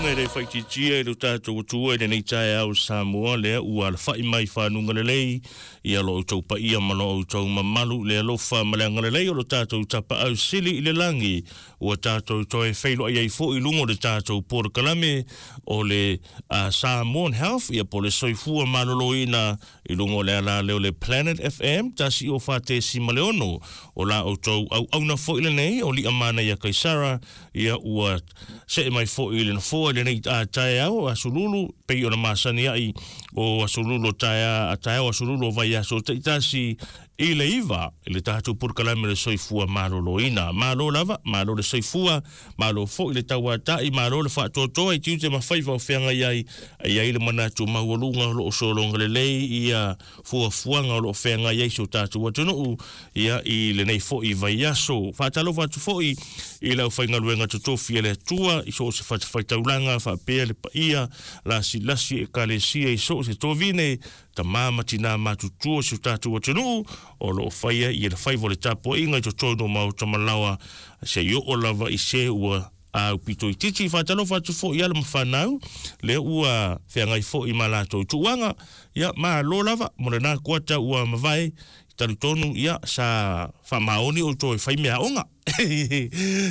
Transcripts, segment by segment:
E le faaitiitia i lo tatou Atua i lenei taeao Samoa, lea ua alafai mai fanuga lelei ia lo outou paia ma lo outou mamalu i le alofa ma le agalelei o lo tatou Tapaau Sili i le lagi, ua tatou toe feiloai ai foi i luga o le tatou polokalame o le Samoan Health, ia po o le soifua maloloina i luga o le ala lea o le Planet FM 104.6. O la outou auauna foi lenei o Liamanaia Kaisara, ia ua see mai foi i le nofoa i lenei taeao aso Lulu, pei ona masani ai o aso Lulu o taeao aso Lulu o vaiaso taitasi i le 9 i le tatou polokalame o le soifua maloloina. Malo lava, malo le soifua, malo foi le tauatai, malo le faatoatoa i tiute ma faiva o feagai ai, e i ai le manatu maualuga o lo o sologa lelei ia fuafuaga o lo o feagai ai si o tatou atunuu ia i lenei foi vaiaso. Faatalofa atu foi i le aufaigaluega totofi a le Atua i so o se fatafaitaulaga faapea le paia lasilasi ekalesia i so o se tovine, tamā ma tinā matutua o si o tatou atunuu o lo o faia ia le faiva o le tapuaiga i totonu o maota ma laoa seia oo lava i se ua aupito itiiti. Faatalofa atu foi i alo ma fanau lea ua feagai foi ma latou tuuaga. Ia, malo lava mo lena kuata ua mavae. Talitonu ia sa faamaoni outou e fai meaaoga.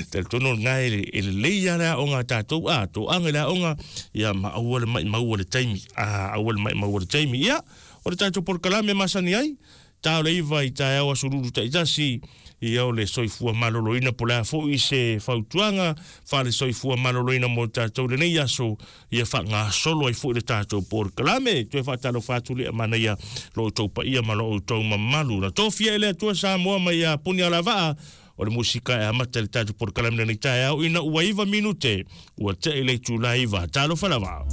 Talitonu o lena e lelei lava le aoga a tatou, a toaga i le aoga, ia ma aua le maimau le taimi. Aua le maimau le taimi. Ia, o le tatou polokalame masani ai, ta o le 9 i taeao aso Lulu taitasi, ia o le soifua maloloina, po o le a foi se fautuaga faale-soifua maloloina mo tatou lenei aso, ia faagasolo ai foi le tatou polokalame. Toe faatalofa atu Liamanaia lo outou paia ma lo outou mamalu. Na tofia e le Atua Samoa mai ia Punialavaa o le musika e amata i le tatou polokalame lenei taeao ina ua 9 minute ua tea i le itula 9. Talofa lava.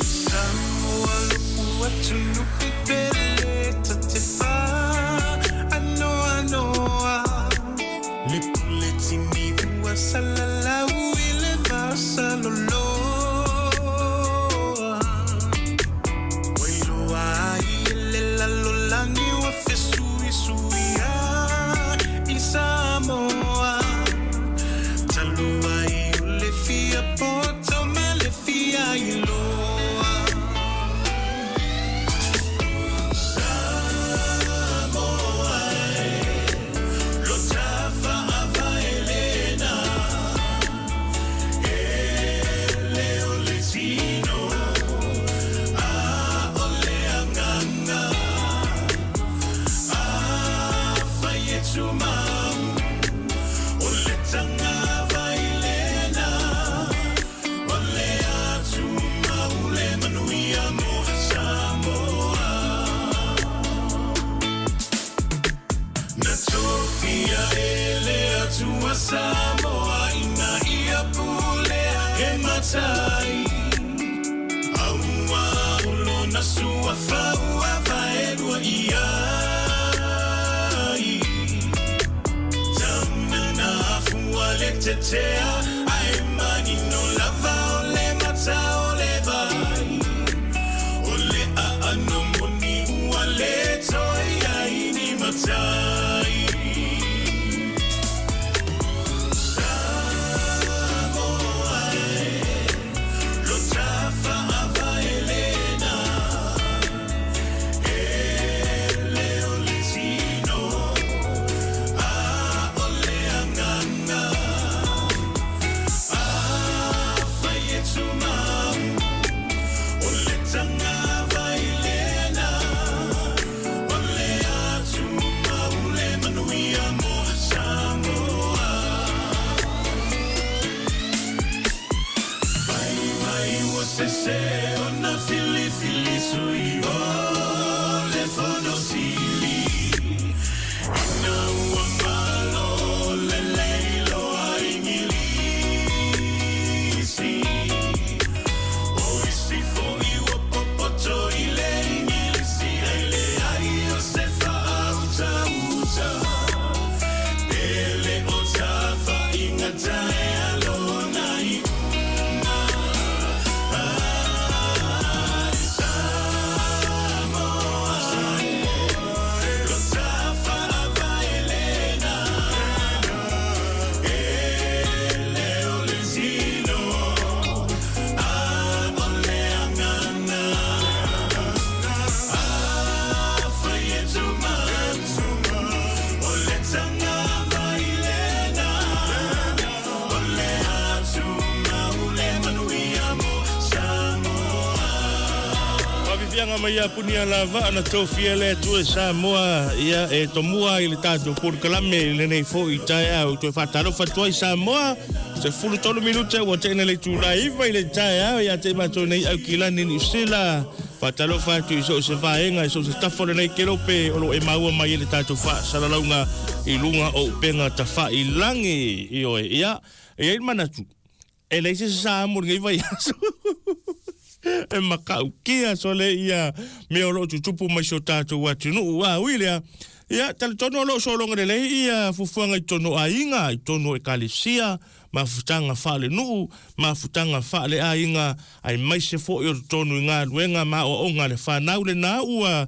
Samoa lo'u atunuu pele ta te faanoanoa le pule tini ua salalau i le vasaloloa ua iloa ai e le lalolagi ua fesuisuia i Samoa talu ai o le fia poto ma le fia iloa. Samoa e, lo tafa avaelena, e le o le tino, a o le agaga, afai e tumau, o le tagavailena, o le atumau le manuia mo Samoa. Na tofia e le Atua Samoa ina ia pulea e matai, auā o lona suafa ua vaelua i ai. Tauna afua le tetea, ae manino lava o le mata o le vai. O le aano moni ua le toe i ai ni matai. Samoa e, lo tafa avaelena, e le o le tino, a o le agaga, talosaga mai ia Punialavaa na tofia le Atua e Samoa ia e tomua ai le tatou polokalame i lenei foi taeao. Toe faatalofa atu ai Samoa, 13 minute ua te'ena le itula e 9 i le taeao ia te i matou nei Aukilani Niu Sila. Faatalofa atu i so o se vaega i so o se tafa o lenei kelope o lo o e maua mai ai le tatou faasalalauga i luga o upega tafailagi. Ioe, ia, e i ai le manatu, e leai se sa mo lenei vaiaso. E makaukia sole ia mea o lo o tutupu mai si o tatou atunuu. A ui lea, ia, talitonu o lo o sologa lelei ia fuafuaga i totonu o aiga, i totonu o ekalesia, mafutaga faalenuu, mafutaga faaleaiga, aemaise foi o totonu i galuega ma aoaoga a le fanau. Lena ua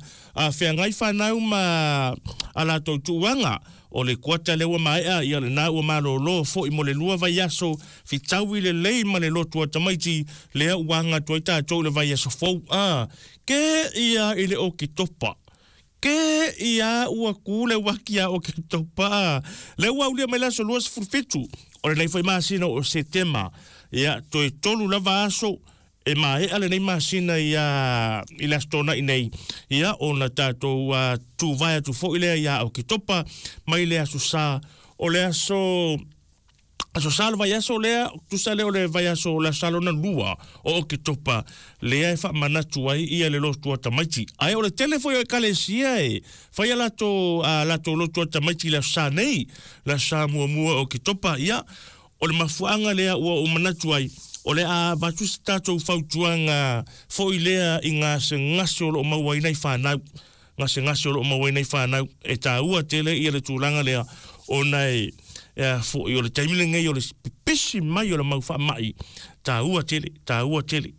feagai fanau ma a latou tuuaga o le kuata lea ua maea, ia lena ua malolo foi mo le 2 vaiaso, fitaui lelei ma le lotu a tamaiti, lea ua aga atu ai tatou i le vaiaso fou. A, ke ia i le Oketopa. Ke ia ua ku le uaki ia Oketopa. Lea ua aulia mai le aso 27 o lenei foi masina o Setema. Ia, toe 3 lava aso e maea lenei masina ia i le aso Tona'i nei, ia ona tatou tuvae atu foi lea ia Oketopa mai le aso Sa o le aso aso Sa le vaiaso lea, tusa lea o le vaiaso o le aso Sa lona lua o Oketopa lea e faamanatu ai ia le lotu a tamaiti. Ae o le tele foi o ekalesia e fai a latou a latou lotu a tamaiti i le aso Sa nei, le aso Sa muamua o Oketopa, ia o le mafuaaga lea ua ou manatu ai, o le a avatu se tatou fautuaga foi lea i gasegase o lo o maua ai nai fanau. Gasegase o lo o maua ai nai fanau. E taua tele ia le tulaga lea, ona e a foi o le taimi lenei o le pipisi mai o le mau faamai, taua tele, taua tele.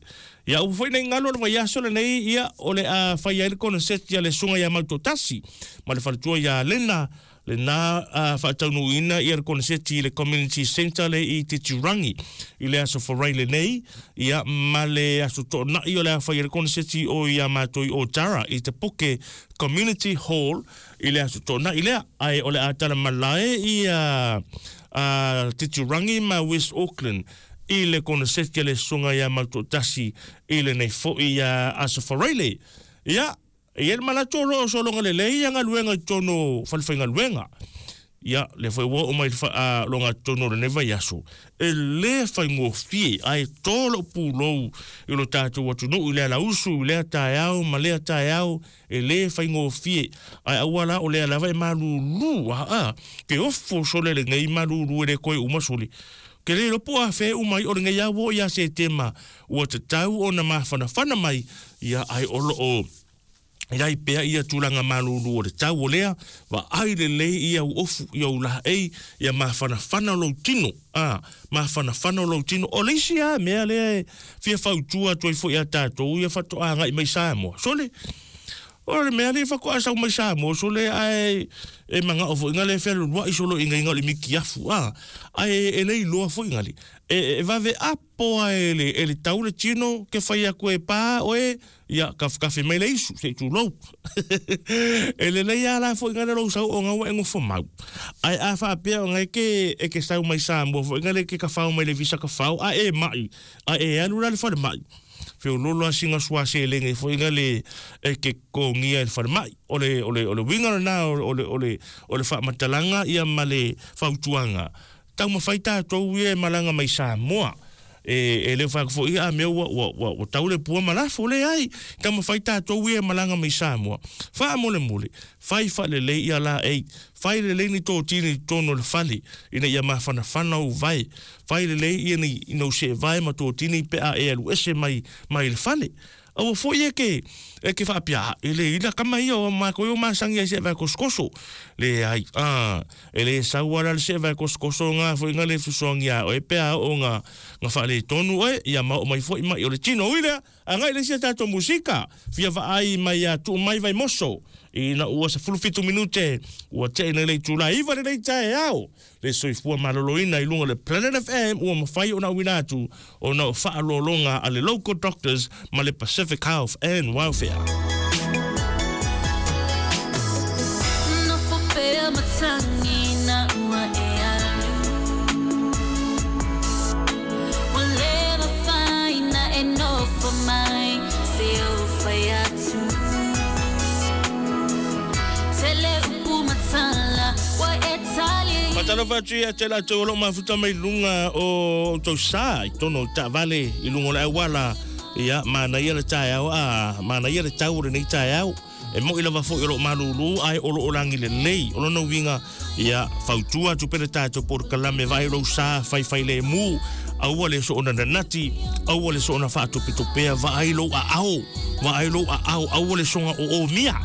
Ia ua foi nei galu o le vaiaso lenei, ia o le a fai ai le koneseti a le Susuga ia Mautoatasi ma le faletua ia Lena, lena a faataunuuina ia le koneseti i le Community Centre le i Titirangi i le aso Farai lenei, ia ma le aso Toonai o le a fai ai le koneseti o ia matou i Otara i Te Puke Community Hall i le aso Toonai lea. Ae o le a tala malae ia a Titirangi ma West Auckland i le koneseti a le Susuga ia Mautoatasi i lenei foi ia aso Farai le. Ia, E i ai le manatu o lo o sologa lelei ia galuega i totonu o falefaigaluega. Ia, lea foi ua oo mai le faaloga totonu o lenei vaiaso, e le faigofie, ae to lou pulou i lo tatou atunuu i le alausu i lea taeao ma lea taeao, e le faigofie. Ae aua la o lea lava e malulu, aa, ke ofo sole lenei malulu e le koe uma sole. Ke le iloa po o afea e uma ai o lenei lava ua oo ia Setema ua tatau ona mafanafana mai, ia ae o lo o i ai pea ia tulaga malulu o le tau o lea, vaai lelei ia u ofu, ia u laei, ia mafanafana lou tino, a, mafanafana lou tino. O le isi lava mea lea e fia fautua atu ai foi ia tatou ia faatoa agai mai Samoa, sole, o le mea lea faatoa sau mai Samoa, sole, ae e manao foi ngale e fealualuai solo i ngaiga o le mikiafu, a, ae e le iloa foi ngale, e vave apo a e le, e le tau le tino ke fai atu e pā oe, ia kafekafe mai le isu, se i tulou. E lelei lava la foi ngale lou sau o ngaua e nofo mau. Ae a faapea o ngai ke, e ke sau mai Samoa foi ngale ke kafao mai le visa kafao, a e mai, a e alu la le falemai. Feololo a singa sua selenge foi ngale e ke kogia i le falemai. O le, o le, o le uiga lena o le, o le, o le faamatalaga ia ma le fautuaga. Taumafai tatou ia e malaga mai Samoa. E, e le o fai atu foi ia a mea ua, ua, ua, ua tau le pua ma lafo, leai. Taumafai tatou ia e malaga mai Samoa. Faamolemole, fai faalelei ia laei. Fai lelei ni totini i totonu o le fale, ina ia mafanafana ou vae. Fai lelei ia ni nou seevae ma totini pe a e alu ese mai, mai le fale. Aua foi e ke, e ke faapea, a, e le ila kama ia o matou o masani ai seevae kosokoso. Leai, a, e le sau ala le seevae kosokoso nga foi nga le fesoasoani ia oe pe a oo nga, nga faaletonu oe, ia ma oo mai foi mai o le tino. Ui lea, agai le isi a tatou musika, fia vaai mai ia Tuumai Vaimoso, ina ua 17 minute ua tea nei le itula 9 lenei taeao. Le soifua maloloina i luga o le Planet FM ua mafai ona auina atu ona o faaaloaloga a le Local Doctors ma le Pacific Health and Welfare. Nofo pea matagi na ua e alu. Ua le mafai na e nofo mai se ou fai atu. Faatalofa atu ia te latou o lo o mafuta mai luga o outou sa i totonu o taavale i luga o le auala. Ia, manaia le taeao, a, manaia le tau o lenei taeao. E mo'i lava foi o lo o malūlū ae o lo o lagi lelei. O lona uiga, ia, fautua atu pea le tatou polokalame, vaai lou sa faifailemu, aua le soona nanati, aua le soona faatopetopea, vaai lou aao, vaai lou aao, aua le soga oomia.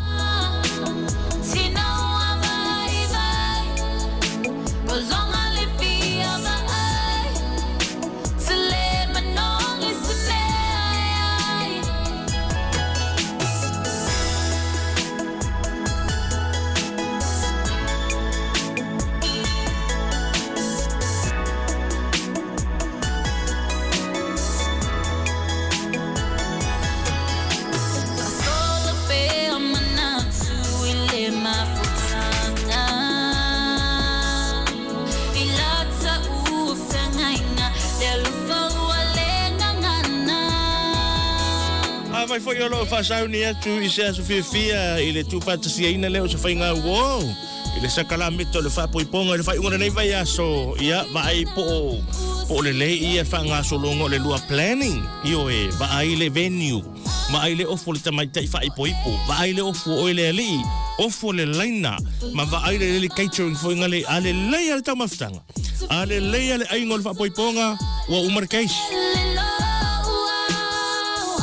Afai foi o lo o faasauni atu i se aso fiafia i le tuufaatasiaina lea o se faiga uō i le sakalameta o le faapoipoga i le faaiuga o lenei vaiaso, ia, vaai po o, po o lelei ia le faagasologa o le lua planning, ioe, vaai le venue, vaai le ofo o le tamaitai faaipoipo, vaai le ofo o oe le alii, ofo le laina, ma vaai le lelei catering foi ngale, a lelei lava le taumafataga, a lelei lava le aiga o le faapoipoga, ua uma le case.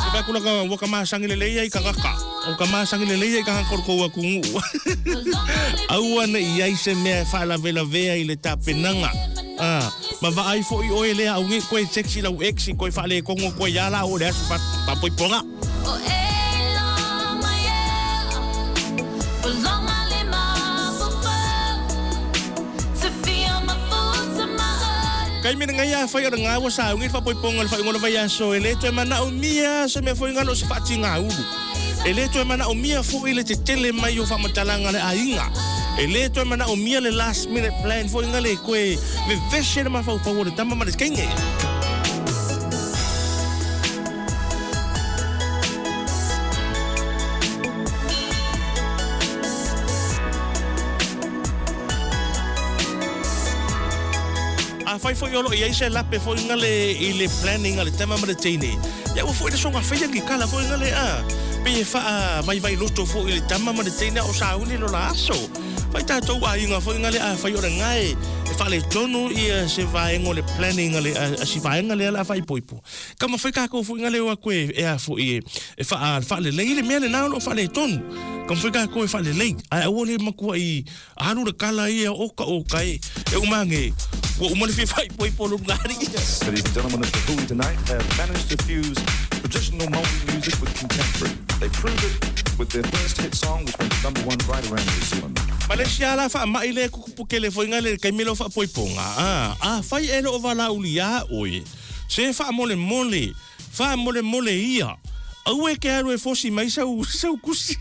E vaai atu la ua ka masani lelei ai i tagata, ua ka masani lelei ai i tagata o le tou atunuu. Aua ne i ai se mea e faalavelavea i le tapenaga. Ah, ma vaai foi oe lea au nei koe text i lau ex i koe faaletonu atu ai ia la o le aso faapoipoga. Taimi lenei afai o lena ua sauni le faapoipoga o le faaiuga o le vaiaso, e le toe manaomia se mea foi na o se faatigaulu. E le toe manaomia foi le tetele mai o faamatalaga a le aiga. E le toe manaomia le last minute plan foi na le toe vevese le mafaufau o le tama ma le teine. Afai foi o lo o i ai se lape foi ngale i le planning a le tama ma le teine, ia ua foi le soga faia ni kala foi ngale a, pei e faa vaivai loto foi i le tama ma le teine a o sauni lo la aso. Fai tatou aiga foi ngale afai o le gae e faaletonu ia se vaega o le planning a le a si vaega lea la faaipoipo. Taumafai tatou foi ngale o atu e a foi e faa faalelei le mea lena o lo o faaletonu. Taumafai tatou e faalelei ae aua le matuai Alu le kala ia oka oka e, e uma age, ua uma le fia faaipoipo o lona alii. Ladies and gentlemen of the Hui tonight have managed to fuse traditional Maori music with contemporary. They proved it with their first hit song which went to number one right around New Zealand. Malaysia la faamai lea kukupu kele foi nga le taimi leo faapoipoga a afai e loo valauli ia oe se faamolemole faamolemole ia aua e ke alu e fosi mai sau sau kusi.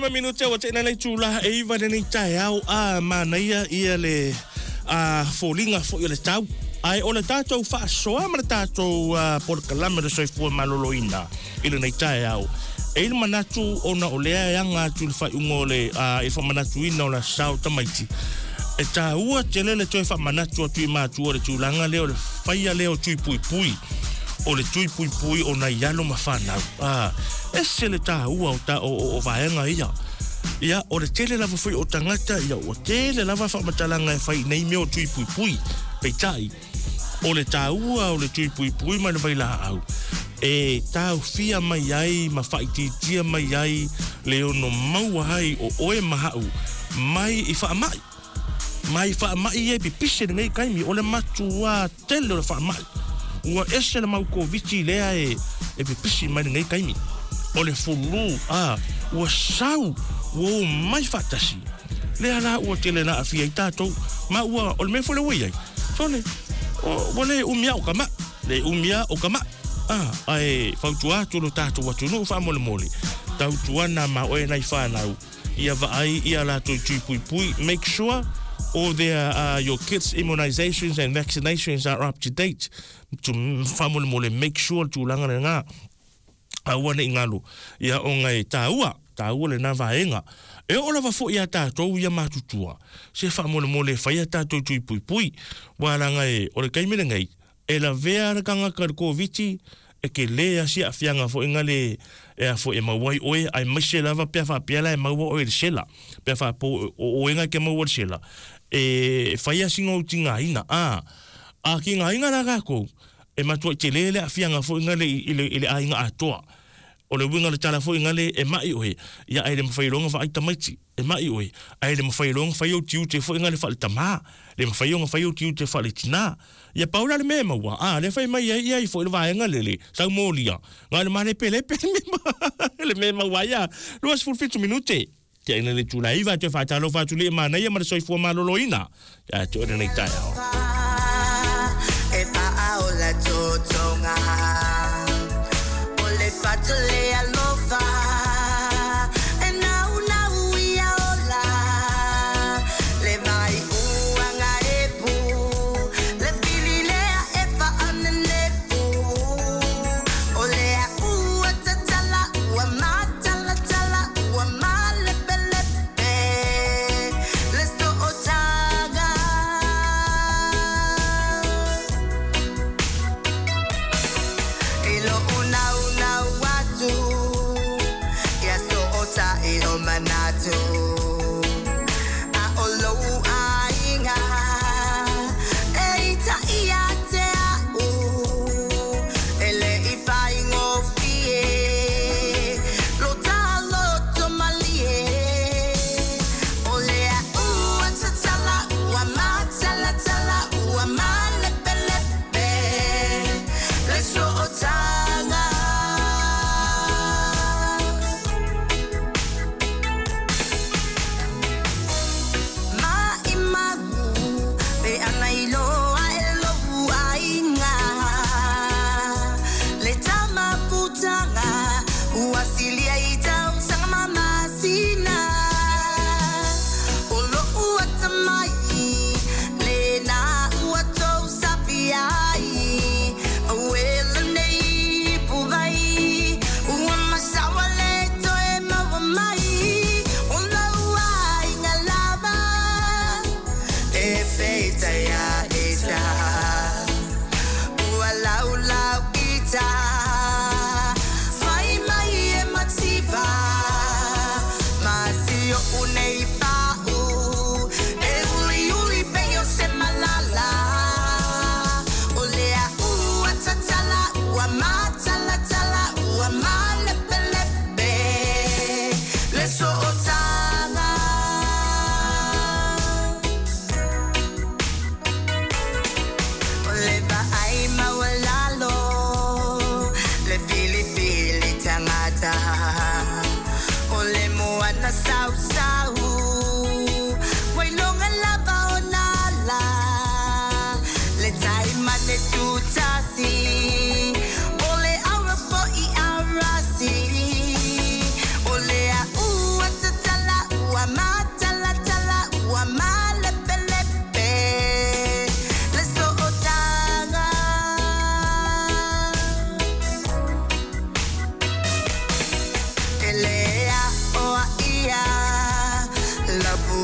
5 minute ua teʻina le itulā e 9 i lenei taeao a manaia ia le a foliga foi o le tau. Ae o le tatou faasoa ma le tatou polokalame o le soifua maloloina i lenei taeao. E i ai le manatu ona o lea e aga atu i le faaiuga o le i le faamanatuina o le Aso Sa o Tamaiti, e taua tele le toe faamanatu atu i matua o le tulaga lea o le faia lea o tui puipui, o le tui puipui o nai alo ma fanau. A, ese le taua o, ta, o, o, o vaega ia. Ia, o le tele lava foi o tagata, ia ua tele lava faamatalaga e fai i nei mea o tui puipui. Peitai, o le taua o le tui puipui ma le vailaau, e taofia mai ai ma faaitiitia mai ai le ono maua ai o oe ma a'u mai i faamai. Mai faamai ia e pipisi i lenei taimi, o le matuā tele o le faamai. Ua ese le mau Koviti lea e e pipisi mai lenei taimi. O le fulu, a, ua sau, ua omai faatasi. Lea la ua tele na aafia ai tatou. Ma ua, o le mea foi lea ua i ai, sole, ua le umi a o ka maʻi, le umi a o ka maʻi. A, ae fautua atu lo tatou atunuu faamolemole, tautuana ma oe nai fanau, ia vaai i a latou tui puipui, make sure all their, your kids immunizations and vaccinations are up to date. To, faamolemole, make sure le tulaga lena. Aua ne i galo, ia ona e taua, taua lena vaega. E oo lava foi iā tatou ia matutua, se faamolemole e fai a tatou tui puipui. Ua leaga e, o le taimi lenei, e lavea le tagata i le Koviti, e tele lava si aafiaga foi gale e a foi e maua ai oe, aemaise lava pe a faapea la e maua oe i le sela. Pe a faapea o oe na e te maua i le sela, e fai lava sina ou tigaina. A, a tigaina la tatou, E matuai tele le aafiaga foi gale i le, i le aiga atoa. O le uiga o le tala foi gale, e maʻi oe, ia ae le mafai loa ona vaai tamaiti. E maʻi oe, ae le mafai loa ona fai ou tiute foi gale faale-tamā, le mafai ona fai ou tiute faale-tinā. Ia pau la le mea e maua, a, lea fai mai ai ia i foi le vaega lele, sau molia, na o le malepelepe le mea, le mea e maua ai a 27 minute. Tiaina le itula e 9, toe faatalofa atu lea i manaia ma le soifua maloloina. Ia te oe lenei taeao. E faaola totoga o le fatu le alofa e naunau ia ola le vai uaga e pu le fili lea e faanenefu o lea ua tatala ua matalatala ua malepelepe le sootaga. I lou naunau atu ia sootaʻi o manatu a o lou aiga e itaʻi ia te a'u e le i faigofie lo ta loto malie o lea ua tatala ua matalatala ua malepelepe le sootaga. Maʻimau pe ana iloa e lou aiga le tamafutaga ua silia i tausaga ma masina o lou atamai lena ua tou sapi ai aue lenei puvai ua masaua le toe maua mai o lou aiga lava e peitai a ita ua laulau ita fai mai e mativa ma si oʻu nei pa'u e uliuli pei o se malala o lea ua tatala ua matalatala ua malepelepe le sootaga. O le vaai maualalo le filifili tagata o le moana sausau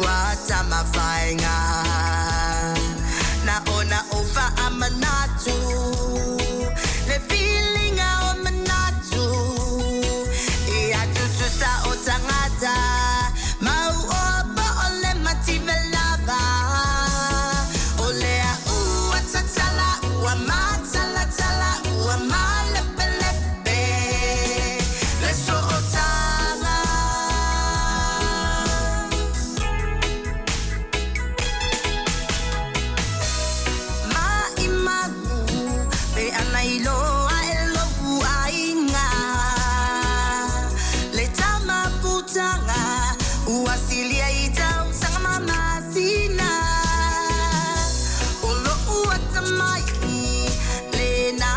ua tamawhainga Na ona o whaamanatu Le feelinga o manatu I atutusa o tangata Mau o po o le mativelava O lea ua tatala ua matalatala ua malepelepe Le so'otaga. Maʻimau pe ana iloa e lou aiga le tamaputaga ua silia i tausaga ma masina o lo'u atamai lena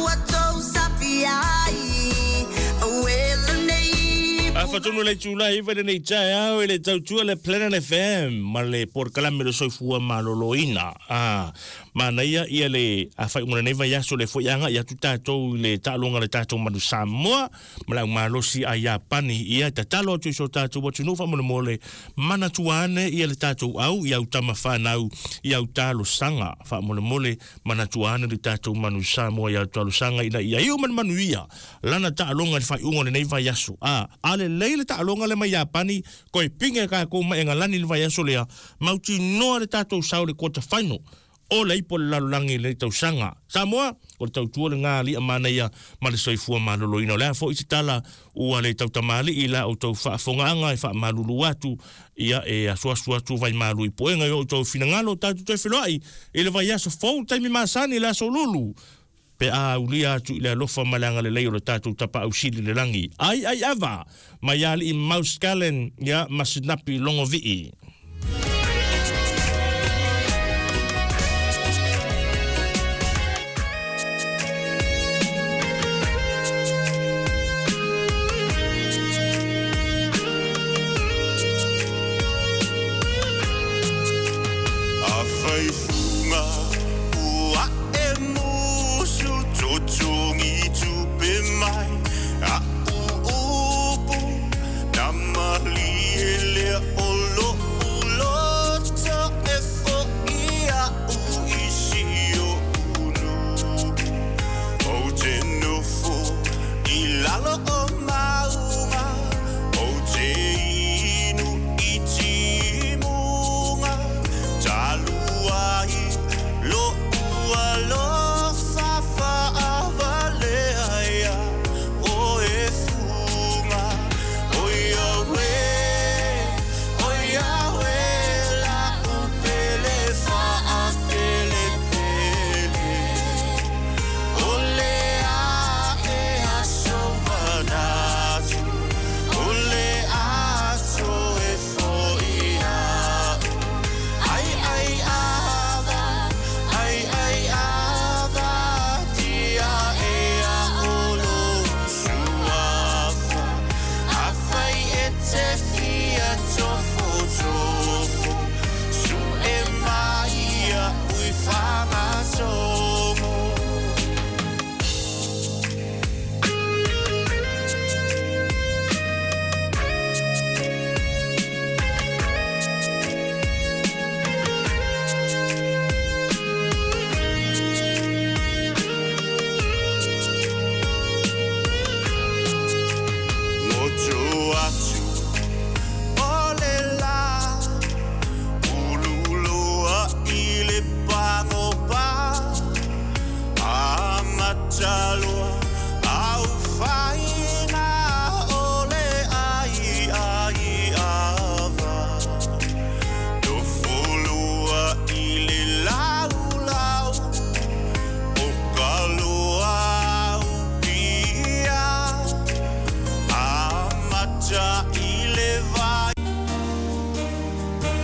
ua tou sapi ai uelenei. Afatonu le tula iwa le nei taeao i le tautua le Planet FM ma le porokalame le soifua maloloina. Ah, manaia ia le afaʻiuga o lenei vaiaso le foi agaʻi atu tatou i le taaloga le tatou manu Samoa ma le aumalosi a Iapani. Ia tatalo atu i so tatou atunuu faamolemole manatua ane ia le tatou au i au tama fanau i au talosaga faamolemole manatua ane le tatou manu Samoa i au talosaga ina ia iu ma le manuia lana taaloga i le faaiuga o lenei vaiaso. A, a lelei le taaloga le mai Iapani, toe pige tatou mai Egalani i le vaiaso lea, mautinoa le tatou sao i le quarter final o le ipu o le lalolagi i lenei tausaga. Samoa, o le tautua lena a alii manaia ma le soifua maloloina. O le a foi se tala ua le tautamalii i la outou faafogaaga e faamalulu atu, ia e asuasu atu vaimalu i puega i o outou finagalo tatou toe feloai i le vaiaso fou taimi masani i le aso Lulu pe a aulia atu i le alofa ma le agalelei o le tatou Tapaau Sili i le lagi. Ai ai ava mai alii Mouse Gallen ia ma Sinapi Logovii.